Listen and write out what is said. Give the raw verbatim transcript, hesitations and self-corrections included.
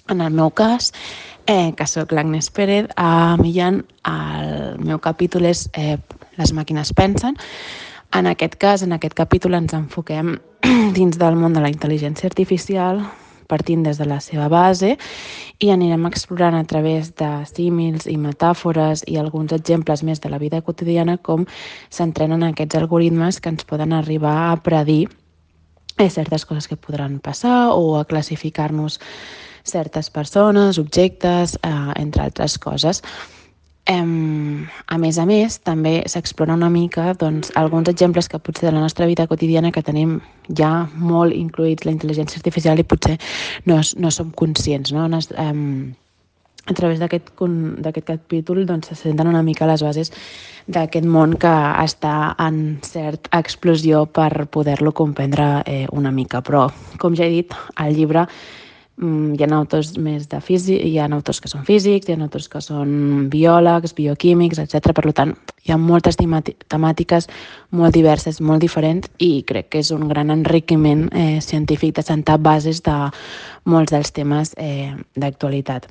En el meu cas, eh, que sóc l'Agnès Pérez, a Millán, el meu capítol és eh, Les màquines pensen. En aquest cas, en aquest capítol ens enfoquem dins del món de la intel·ligència artificial, partint des de la seva base, i anirem explorant a través de símils i metàfores i alguns exemples més de la vida quotidiana com s'entrenen aquests algoritmes que ens poden arribar a predir eh, certes coses que podran passar o a classificar-nos certes persones, objectes, eh, entre altres coses. Em, a més a més, també s'explora una mica doncs, alguns exemples que potser de la nostra vida quotidiana que tenim ja molt incluïts la intel·ligència artificial i potser no, no som conscients. No? Nos, em, a través d'aquest d'aquest capítol doncs, se senten una mica les bases d'aquest món que està en certa explosió per poder-lo comprendre eh, una mica. Però, com ja he dit, al llibre hi ha autors més de físic, hi ha autors que són físics, hi ha autors que són biòlegs, bioquímics, etcètera. Per tant, hi ha moltes temàtiques molt diverses, molt diferents, i crec que és un gran enriquiment eh, científic de sentar bases de molts dels temes eh, d'actualitat.